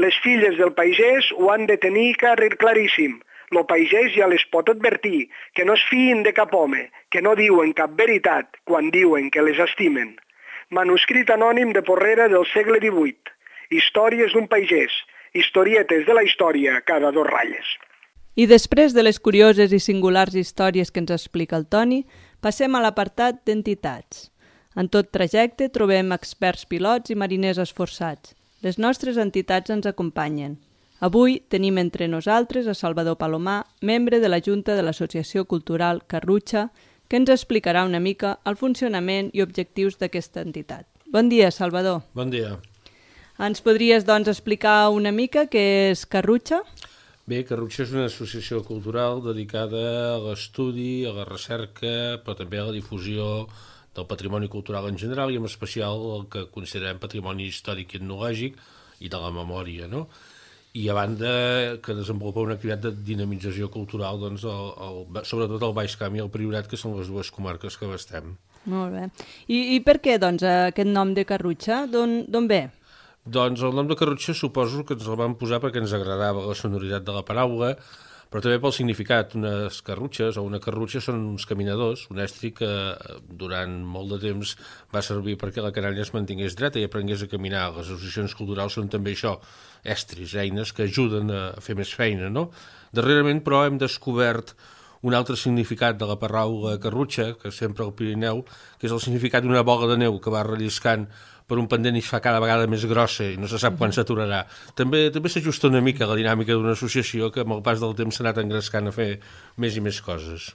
Les filles del pagès ho han de tenir claríssim. Lo pagès ja les pot advertir que no es fiïn de cap home, que no diuen cap veritat quan diuen que les estimen. Manuscrit anònim de Porrera del segle divuit. Històries d'un pagès. Historietes de la història cada dos ratlles. I després de les curioses i singulars històries que ens explica el Toni, passem a l'apartat d'entitats. En tot trajecte trobem experts pilots i mariners esforçats. Les nostres entitats ens acompanyen. Avui tenim entre nosaltres a Salvador Palomar, membre de la Junta de l'Associació Cultural Carrutxa, que ens explicarà una mica el funcionament i objectius d'aquesta entitat. Bon dia, Salvador. Bon dia. Ens podries, doncs, explicar una mica què és Carrutxa? Bé, Carrutxa és una associació cultural dedicada a l'estudi, a la recerca, però també a la difusió del patrimoni cultural en general i en especial el que considerem patrimoni històric i etnològic i de la memòria, no? I a banda que desenvolupa una activitat de dinamització cultural, doncs, el, el, sobretot el Baix Camp i el Priorat, que són les dues comarques que abastem. Molt bé. I, i per què, doncs, aquest nom de Carrutxa? D'on ve? Doncs el nom de Carrutxa suposo que ens el vam posar perquè ens agradava la sonoritat de la paraula, però també pel significat. Unes carrutxes o una carrutxa són uns caminadors, un estri que durant molt de temps va servir perquè la canalla es mantingués dreta i aprengués a caminar. Les associacions culturals són també això, estris, eines que ajuden a fer més feina, no? Darrerament, però, hem descobert un altre significat de la paraula carrutxa, que sempre al Pirineu, que és el significat d'una bola de neu que va relliscant per un pendent i es fa cada vegada més grossa i no se sap quan s'aturarà. També també s'ajusta una mica a la dinàmica d'una associació que amb el pas del temps s'ha anat engrescant a fer més i més coses.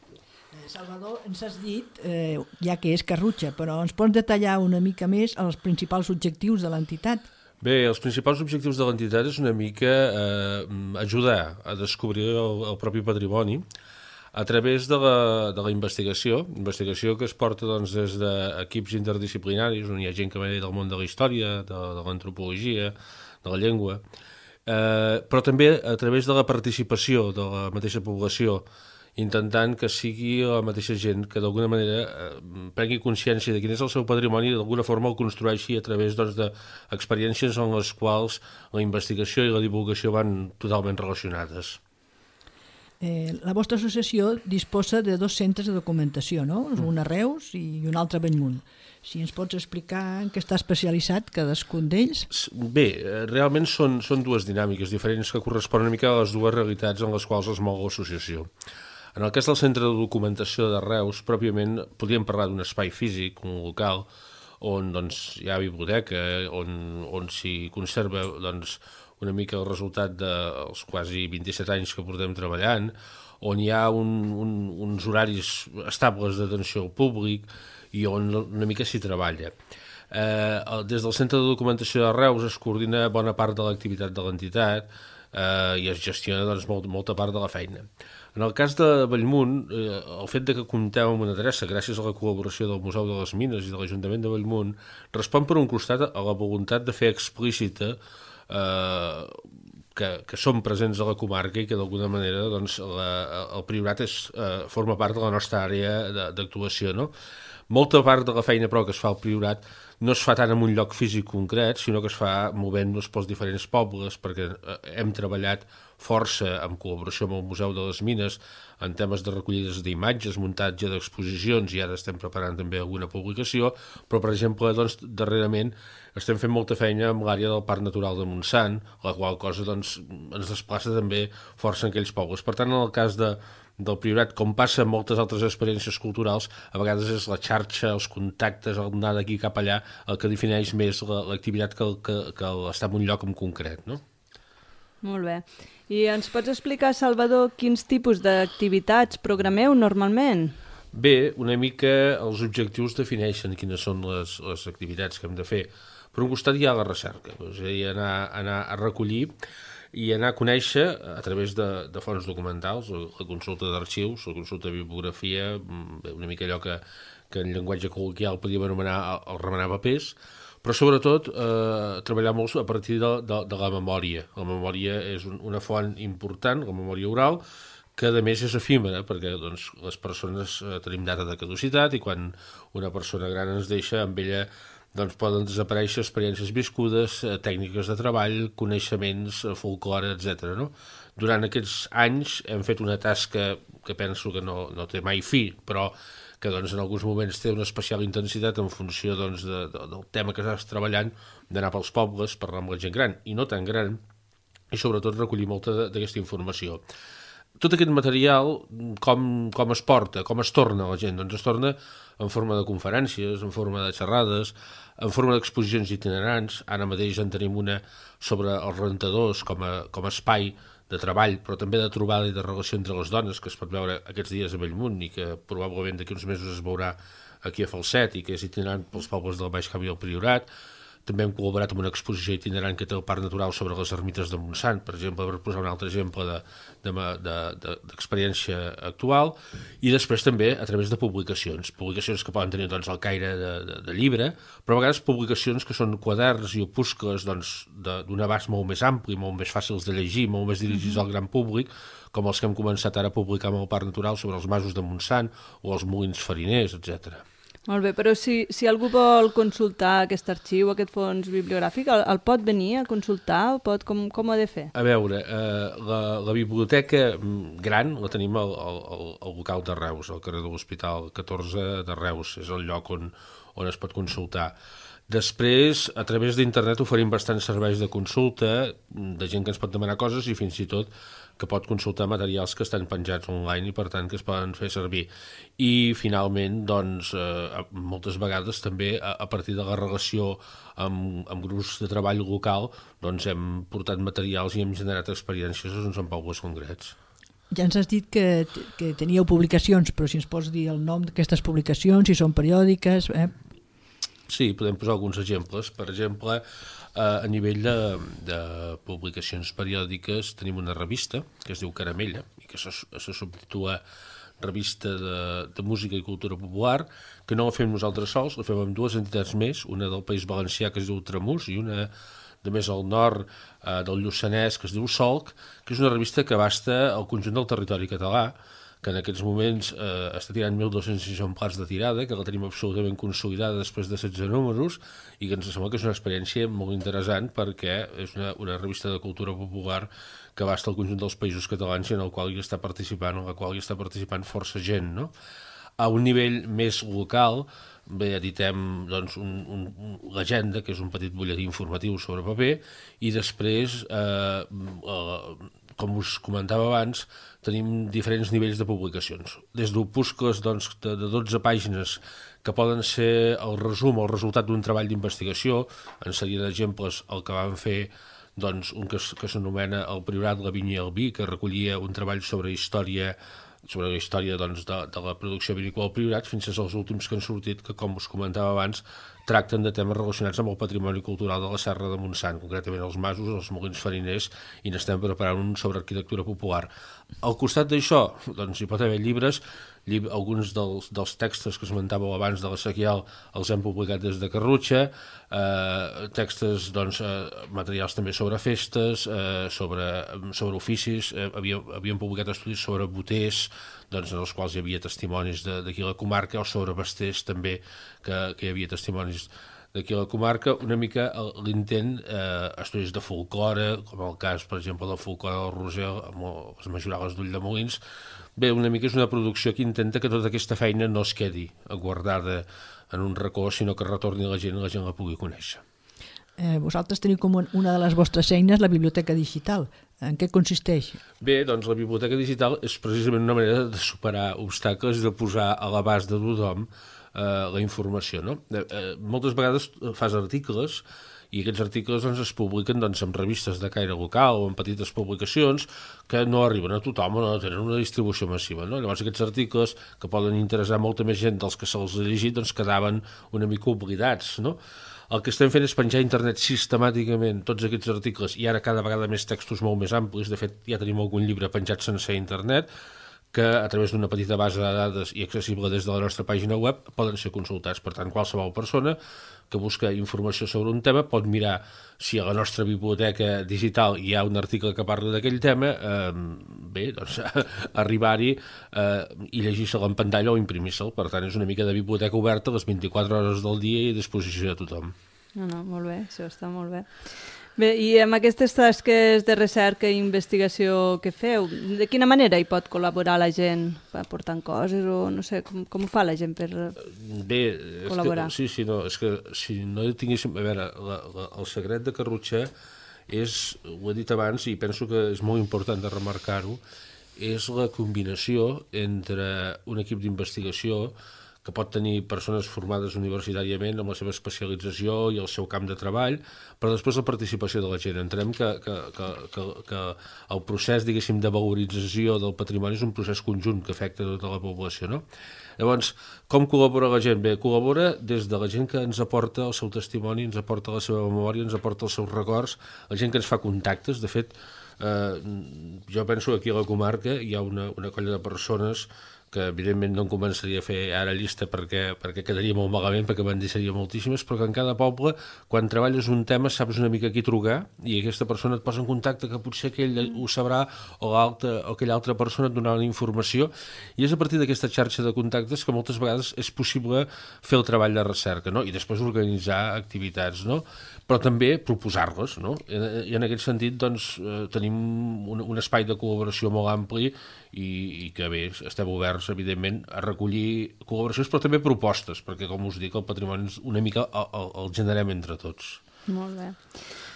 Salvador, ens has dit, eh, ja que és Carrutxa, però ens pots detallar una mica més els principals objectius de l'entitat? Bé, els principals objectius de l'entitat és una mica eh, ajudar a descobrir el, el propi patrimoni a través de la, de la investigació, investigació que es porta doncs, des d'equips interdisciplinaris, on hi ha gent que ve del món de la història, de, de l'antropologia, de la llengua, eh, però també a través de la participació de la mateixa població, intentant que sigui la mateixa gent que d'alguna manera eh, prengui consciència de quin és el seu patrimoni i d'alguna forma el construeixi a través doncs, d'experiències en les quals la investigació i la divulgació van totalment relacionades. Eh, la vostra associació disposa de dos centres de documentació, no? Un a Reus i un altre a Bellmunt. Si ens pots explicar en què està especialitzat cadascun d'ells? Bé, realment són, són dues dinàmiques diferents que corresponen una mica a les dues realitats en les quals es mou l'associació. En el cas del centre de documentació de Reus, pròpiament podríem parlar d'un espai físic, un local, on doncs, hi ha biblioteca, on, on s'hi conserva doncs, una mica el resultat dels quasi vint-i-set anys que portem treballant, on hi ha un, un, uns horaris estables d'atenció al públic i on una mica s'hi treballa. Eh, des del Centre de Documentació de Reus es coordina bona part de l'activitat de l'entitat eh, i es gestiona doncs, molt, molta part de la feina. En el cas de Bellmunt, eh, el fet de que comptem amb una adreça gràcies a la col·laboració del Museu de les Mines i de l'Ajuntament de Bellmunt respon per un costat a la voluntat de fer explícita Eh, que, que són presents a la comarca i que d'alguna manera doncs, la, el Priorat és, eh, forma part de la nostra àrea d'actuació, no? Molta part de la feina però que es fa al Priorat no es fa tant en un lloc físic concret, sinó que es fa movent-nos pels diferents pobles, perquè hem treballat força en col·laboració amb el Museu de les Mines en temes de recollides d'imatges, muntatge d'exposicions, i ara estem preparant també alguna publicació, però per exemple, doncs, darrerament estem fent molta feina amb l'àrea del Parc Natural de Montsant, la qual cosa doncs, ens desplaça també força en aquells pobles. Per tant, en el cas de del Priorat, com passa en moltes altres experiències culturals, a vegades és la xarxa, els contactes, el anar d'aquí cap allà, el que defineix més l'activitat que, que, que està en un lloc en concret, no? Molt bé. I ens pots explicar, Salvador, quins tipus d'activitats programeu normalment? Bé, una mica els objectius defineixen quines són les, les activitats que hem de fer. Per un costat hi ha la recerca, és a dir, anar, anar a recollir i anar a conèixer a través de, de fonts documentals, la consulta d'arxius, la consulta de bibliografia, una mica allò que, que en llenguatge col·loquial podíem anomenar el remenar papers, però sobretot eh, treballar molt a partir de, de, de la memòria. La memòria és un, una font important, la memòria oral, que a més és efímera, perquè doncs, les persones eh, tenim data de caducitat i quan una persona gran ens deixa, amb ella doncs poden desaparèixer experiències viscudes, eh, tècniques de treball, coneixements, eh, folklore, etcètera. No? Durant aquests anys hem fet una tasca que penso que no, no té mai fi, però que doncs, en alguns moments té una especial intensitat en funció doncs, de, de, del tema que estàs treballant, d'anar pels pobles, parlar amb la gent gran i no tan gran, i sobretot recollir molta d'aquesta informació. Tot aquest material, com, com es porta, com es torna a la gent? Doncs es torna en forma de conferències, en forma de xerrades, en forma d'exposicions itinerants. Ara mateix en tenim una sobre els rentadors com a, com a espai de treball, però també de trobada i de relació entre les dones, que es pot veure aquests dies a Bellmunt i que probablement d'aquí uns mesos es veurà aquí a Falset i que és itinerant pels pobles del Baix Camp i el Priorat. També hem col·laborat amb una exposició itinerant que té el Parc Natural sobre les ermites de Montsant, per exemple, per posar un altre exemple d'experiència de, de, de, actual, i després també a través de publicacions, publicacions que poden tenir doncs, el caire de, de, de llibre, però a vegades publicacions que són quaderns i opuscles doncs, d'un abast molt més ampli, molt més fàcils de llegir, molt més dirigits al gran públic, com els que hem començat ara a publicar amb el Parc Natural sobre els masos de Montsant o els molins fariners, etcètera. Molt bé, però si, si algú vol consultar aquest arxiu, aquest fons bibliogràfic, el, el pot venir a consultar? Pot, com, com ho ha de fer? A veure, eh, la, la biblioteca gran la tenim al, al, al local de Reus, al carrer de l'Hospital catorze de Reus, és el lloc on, on es pot consultar. Després, a través d'internet oferim bastants serveis de consulta, de gent que ens pot demanar coses i fins i tot que pot consultar materials que estan penjats online i per tant que es poden fer servir. I finalment, doncs, eh, moltes vegades també a, a partir de la relació amb, amb grups de treball local doncs hem portat materials i hem generat experiències doncs, en pobles concrets. Ja ens has dit que, que teníeu publicacions, però si ens pots dir el nom d'aquestes publicacions, si són periòdiques... Eh? Sí, podem posar alguns exemples. Per exemple, eh, a nivell de, de publicacions periòdiques tenim una revista que es diu Caramella i que se, se subtitula Revista de, de Música i Cultura Popular, que no la fem nosaltres sols, la fem amb dues entitats més, una del País Valencià que es diu Tramús i una de més al nord eh, del Lluçanès que es diu Solc, que és una revista que abasta el conjunt del territori català, que en aquests moments eh, està tirant mil dos-cents exemplars de tirada, que la tenim absolutament consolidada després de setze números i que ens sembla que és una experiència molt interessant perquè és una, una revista de cultura popular que abasta el conjunt dels països catalans i en el qual hi està participant, en la qual hi està participant força gent, no? A un nivell més local, bé, editem doncs, un, un, l'Agenda, que és un petit butlletí informatiu sobre paper, i després, eh, eh, com us comentava abans, tenim diferents nivells de publicacions. Des d'opuscles doncs, de, de dotze pàgines que poden ser el resum o el resultat d'un treball d'investigació, en serien exemples el que vam fer doncs, un que, que s'anomena El Priorat, la Vinya i el Vi, que recollia un treball sobre història sobre la història doncs, de, de la producció vinícola al Priorat, fins als últims que han sortit, que com us comentava abans, tracten de temes relacionats amb el patrimoni cultural de la Serra de Montsant, concretament els masos, els molins fariners, i n'estem preparant un sobre arquitectura popular. Al costat d'això, doncs, hi pot haver llibres, llib alguns dels, dels textos que esmentàveu abans de la Sequial els hem publicat des de Carrutxa, eh, textos, doncs, eh, materials també sobre festes, eh, sobre, sobre oficis, eh, havíem, havíem publicat estudis sobre boters, doncs, en els quals hi havia testimonis d'aquí a la comarca, o sobre basters també, que, que hi havia testimonis d'aquí a la comarca, una mica l'intent, eh, estudis de folklore, com el cas, per exemple, del folklore del Rosell, amb les majorales d'Ull de Molins. Bé, una mica és una producció que intenta que tota aquesta feina no es quedi guardada en un racó, sinó que retorni a la gent i la gent la pugui conèixer. Eh, vosaltres teniu com una de les vostres eines la biblioteca digital. En què consisteix? Bé, doncs la biblioteca digital és precisament una manera de superar obstacles i de posar a l'abast de tothom eh, la informació. No? Eh, eh, moltes vegades fas articles i aquests articles doncs, es publiquen doncs, en revistes de caire local o en petites publicacions que no arriben a tothom o no tenen una distribució massiva. No? Llavors aquests articles, que poden interessar molta més gent dels que se'ls ha llegit, doncs quedaven una mica oblidats, no? El que estem fent és penjar a internet sistemàticament tots aquests articles i ara cada vegada més textos molt més amplis. De fet, ja tenim algun llibre penjat sense internet que a través d'una petita base de dades i accessible des de la nostra pàgina web poden ser consultats. Per tant, qualsevol persona que busca informació sobre un tema pot mirar si a la nostra biblioteca digital hi ha un article que parla d'aquell tema, eh, bé, doncs arribar-hi eh, i llegir-se'l en pantalla o imprimir-se'l. Per tant, és una mica de biblioteca oberta les vint-i-quatre hores del dia i a disposició de tothom. No, no, molt bé, això està molt bé. Bé, i amb aquestes tasques de recerca i investigació que feu, de quina manera hi pot col·laborar la gent? Aportant coses o no sé, com, com ho fa la gent per Bé, és col·laborar? Que, sí, sí, no, és que si no tinguéssim... A veure, la, la, el secret de Carrutxer és, ho he dit abans i penso que és molt important de remarcar-ho, és la combinació entre un equip d'investigació que pot tenir persones formades universitàriament amb la seva especialització i el seu camp de treball, però després la participació de la gent. Entenem que, que, que, que, que el procés, diguéssim, de valorització del patrimoni és un procés conjunt que afecta tota la població, no? Llavors, com col·labora la gent? Bé, col·labora des de la gent que ens aporta el seu testimoni, ens aporta la seva memòria, ens aporta els seus records, la gent que ens fa contactes. De fet, eh, jo penso que aquí a la comarca hi ha una, una colla de persones que evidentment no en començaria a fer ara llista perquè, perquè quedaria molt malament, perquè me'n deixaria moltíssimes, però que en cada poble, quan treballes un tema, saps una mica a qui trucar i aquesta persona et posa en contacte que potser aquell ho sabrà o, o aquella altra persona et donarà una informació, i és a partir d'aquesta xarxa de contactes que moltes vegades és possible fer el treball de recerca, no? I després organitzar activitats, no? Però també proposar-les, no? I en aquest sentit doncs, tenim un, un espai de col·laboració molt ampli i, i que bé, estem oberts evidentment a recollir col·laboracions però també propostes, perquè com us dic el patrimoni una mica el, el, el generem entre tots. Molt bé.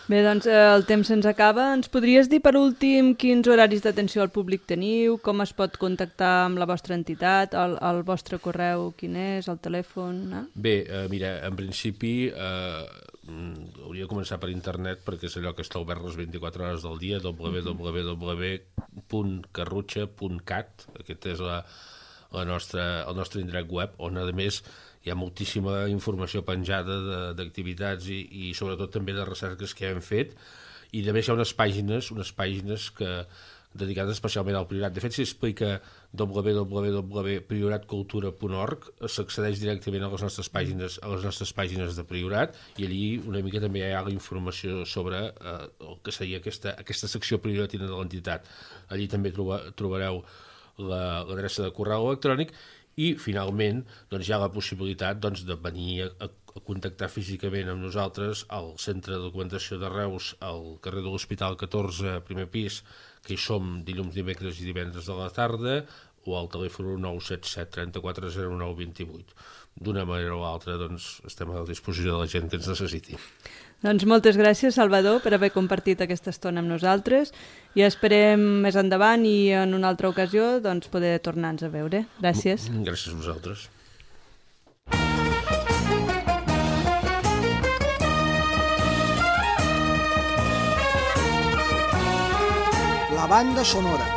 Bé, doncs el temps se'ns acaba. Ens podries dir per últim quins horaris d'atenció al públic teniu, com es pot contactar amb la vostra entitat, el, el vostre correu quin és, el telèfon? Eh? Bé, eh, mira, en principi eh, hauria de començar per internet perquè és allò que està obert les vint-i-quatre hores del dia, w w w punt carrutxa punt cat. Aquest és la, la nostra, el nostre indret web, on a més hi ha moltíssima informació penjada d'activitats i, i sobretot també de recerques que hem fet, i també hi ha unes pàgines, unes pàgines que dedicades especialment al Priorat. De fet, si explica w w w punt prioratcultura punt org, s'accedeix directament a les nostres pàgines, a les nostres pàgines de Priorat, i allí una mica també hi ha la informació sobre eh, el que seria aquesta, aquesta secció prioratina de l'entitat. Allí també troba, trobareu l'adreça de correu electrònic i, finalment, doncs, hi ha la possibilitat doncs, de venir a, a contactar físicament amb nosaltres al Centre de Documentació de Reus, al carrer de l'Hospital catorze, primer pis, que hi som dilluns, dimecres i divendres de la tarda, o al telèfon nou set set trenta-quatre zero nou vint-i-vuit. D'una manera o altra, doncs, estem a la disposició de la gent que ens necessiti. Doncs moltes gràcies, Salvador, per haver compartit aquesta estona amb nosaltres i esperem més endavant i en una altra ocasió doncs, poder tornar-nos a veure. Gràcies. Gràcies a vosaltres. La banda sonora.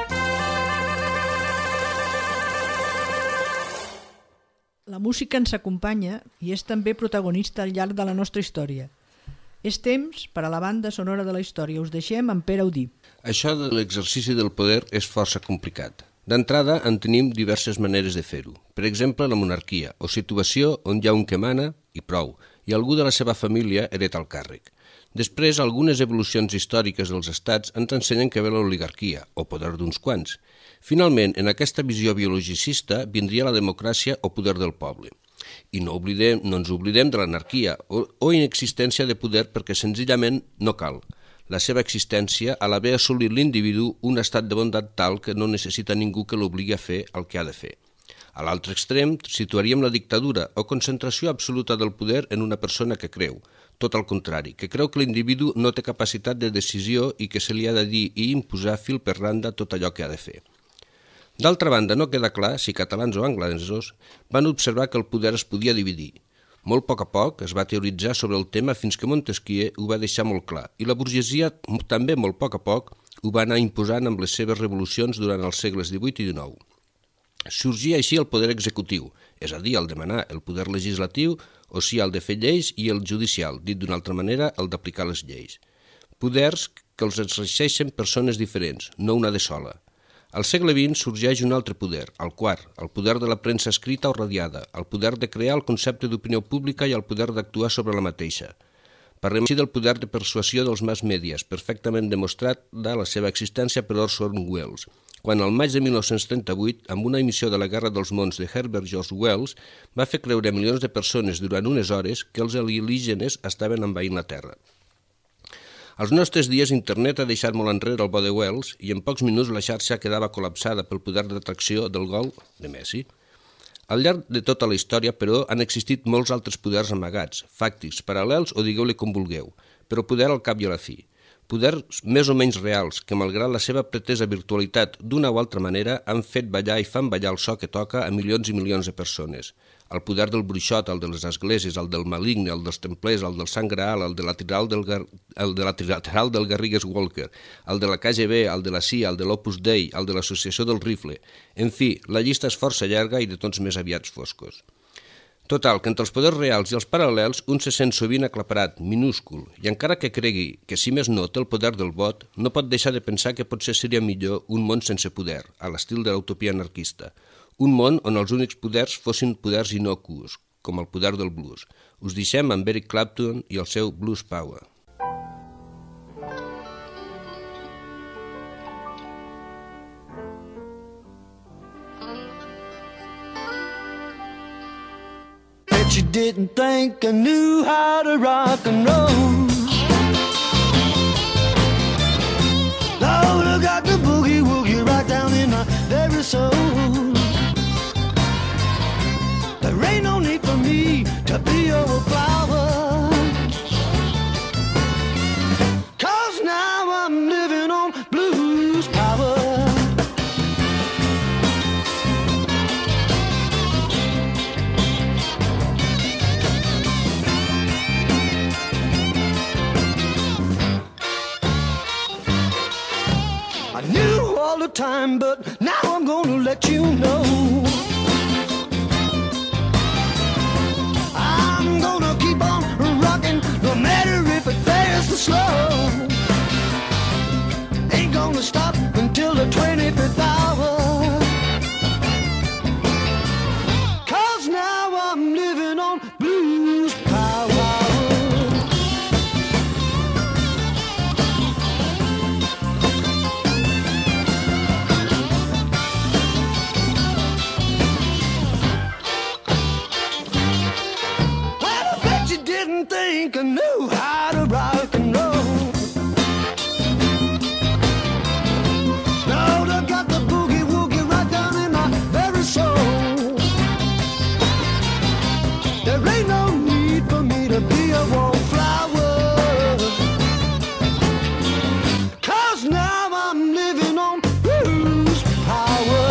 La música ens acompanya i és també protagonista al llarg de la nostra història. És temps per a la banda sonora de la història. Us deixem amb Pere Audí. Això de l'exercici del poder és força complicat. D'entrada, en tenim diverses maneres de fer-ho. Per exemple, la monarquia, o situació on hi ha un que mana i prou, i algú de la seva família hereta el càrrec. Després, algunes evolucions històriques dels estats ens ensenyen que ve l'oligarquia, o poder d'uns quants. Finalment, en aquesta visió biologicista, vindria la democràcia o poder del poble. I no, oblidem, no ens oblidem de l'anarquia o, o inexistència de poder perquè senzillament no cal. La seva existència a l'haver assolit l'individu un estat de bondat tal que no necessita ningú que l'obligui a fer el que ha de fer. A l'altre extrem situaríem la dictadura o concentració absoluta del poder en una persona que creu, tot al contrari, que creu que l'individu no té capacitat de decisió i que se li ha de dir i imposar fil per randa tot allò que ha de fer. D'altra banda, no queda clar si catalans o anglesos van observar que el poder es podia dividir. Molt a poc a poc es va teoritzar sobre el tema fins que Montesquieu ho va deixar molt clar i la burgesia també molt a poc a poc ho va anar imposant amb les seves revolucions durant els segles divuit i dinou. Sorgia així el poder executiu, és a dir, el de manar, el poder legislatiu, o sigui, el de fer lleis, i el judicial, dit d'una altra manera, el d'aplicar les lleis. Poders que els exerceixen persones diferents, no una de sola. Al segle vint sorgeix un altre poder, el quart, el poder de la premsa escrita o radiada, el poder de crear el concepte d'opinió pública i el poder d'actuar sobre la mateixa. Parlem així del poder de persuasió dels mass medias, perfectament demostrat de la seva existència per Orson Welles, quan al maig de mil nou-cents trenta-vuit, amb una emissió de la Guerra dels Mons de Herbert George Wells, va fer creure a milions de persones durant unes hores que els alienígenes estaven envaint la Terra. Als nostres dies, internet ha deixat molt enrere el bo de Wells i en pocs minuts la xarxa quedava col·lapsada pel poder d'atracció del gol de Messi. Al llarg de tota la història, però, han existit molts altres poders amagats, fàctics, paral·lels o digueu-li com vulgueu, però poder al cap i a la fi. Poders més o menys reals que, malgrat la seva pretesa virtualitat d'una o altra manera, han fet ballar i fan ballar el so que toca a milions i milions de persones. El poder del bruixot, el de les esglésies, el del maligne, el dels templers, el del Sant Graal, el de la trilateral del, Gar... el de la trilateral del Garrigues Walker, el de la K G B, el de la C I A, el de l'Opus Dei, el de l'Associació del Rifle. En fi, la llista és força llarga i de tons més aviats foscos. Total, que entre els poders reals i els paral·lels un se sent sovint aclaparat, minúscul, i encara que cregui que si més no té el poder del vot, no pot deixar de pensar que potser seria millor un món sense poder, a l'estil de l'utopia anarquista. Un món on els únics poders fossin poders innocus, com el poder del blues. Us deixem amb Eric Clapton i el seu Blues Power. You didn't think I knew how to rock and roll. Lord, I got the boogie woogie right down in my very soul. There ain't no need for me to be your flower, 'cause now I'm living on blues power. The time, but now I'm gonna let you know I'm gonna keep on rocking, no matter if it fast or slow. Ain't gonna stop until the twenty-fifth hour, 'cause now I'm living on blues power. Think I knew how to rock and roll. Now I got the boogie woogie right down in my very soul. There ain't no need for me to be a wallflower, 'cause now I'm living on blues power.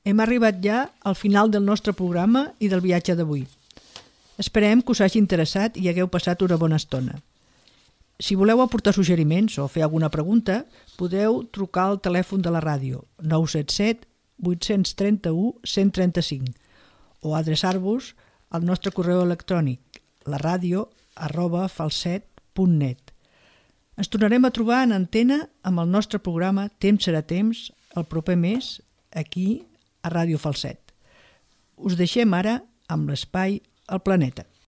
Hem arribat ja al final del nostre programa i del viatge d'avui. Esperem que us hagi interessat i hagueu passat una bona estona. Si voleu aportar suggeriments o fer alguna pregunta, podeu trucar al telèfon de la ràdio nou set set, vuit tres u, un zero tres cinc o adreçar-vos al nostre correu electrònic la ràdio arroba falset punt net. Ens tornarem a trobar en antena amb el nostre programa Temps serà temps el proper mes aquí a Ràdio Falset. Us deixem ara amb l'espai El Planeta.